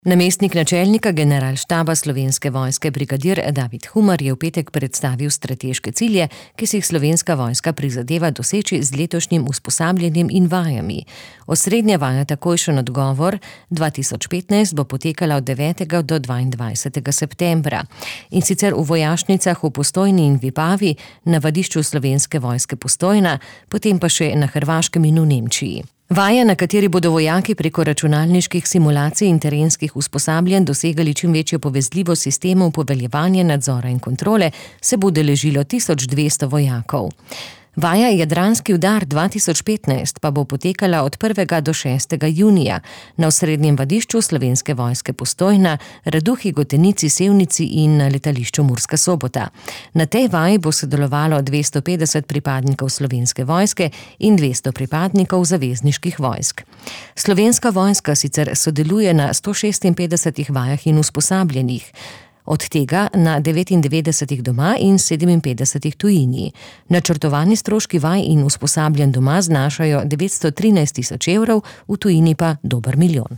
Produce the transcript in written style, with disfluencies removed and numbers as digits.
Namestnik načelnika generalštaba Slovenske vojske brigadir David Humar je v petek predstavil strateške cilje, ki si jih Slovenska vojska prizadeva doseči z letošnjim usposabljanjem in vajami. Osrednja vaja Takojšen odgovor 2015 bo potekala od 9. do 22. septembra. In sicer v vojašnicah v Postojni in Vipavi, na vadišču Slovenske vojske Postojna, potem pa še na Hrvaškem in v Nemčiji. Vaja, na kateri bodo vojaki preko računalniških simulacij in terenskih usposabljanj dosegali čim večjo povezljivost sistemov poveljevanja, nadzora in kontrole, se bo udeležilo 1200 vojakov. Vaja Jadranski udar 2015 pa bo potekala od 1. do 6. junija na osrednjem vadišču Slovenske vojske Postojna, Raduhi, Gotenici, Sevnici in na letališču Murska Sobota. Na tej vaji bo sodelovalo 250 pripadnikov Slovenske vojske in 200 pripadnikov zavezniških vojsk. Slovenska vojska sicer sodeluje na 156 vajah in usposabljanjih, od tega na 99 doma in 57 tujini. Načrtovani stroški vaj in usposabljanj doma znašajo 913 tisoč evrov, v tujini pa dober milijon.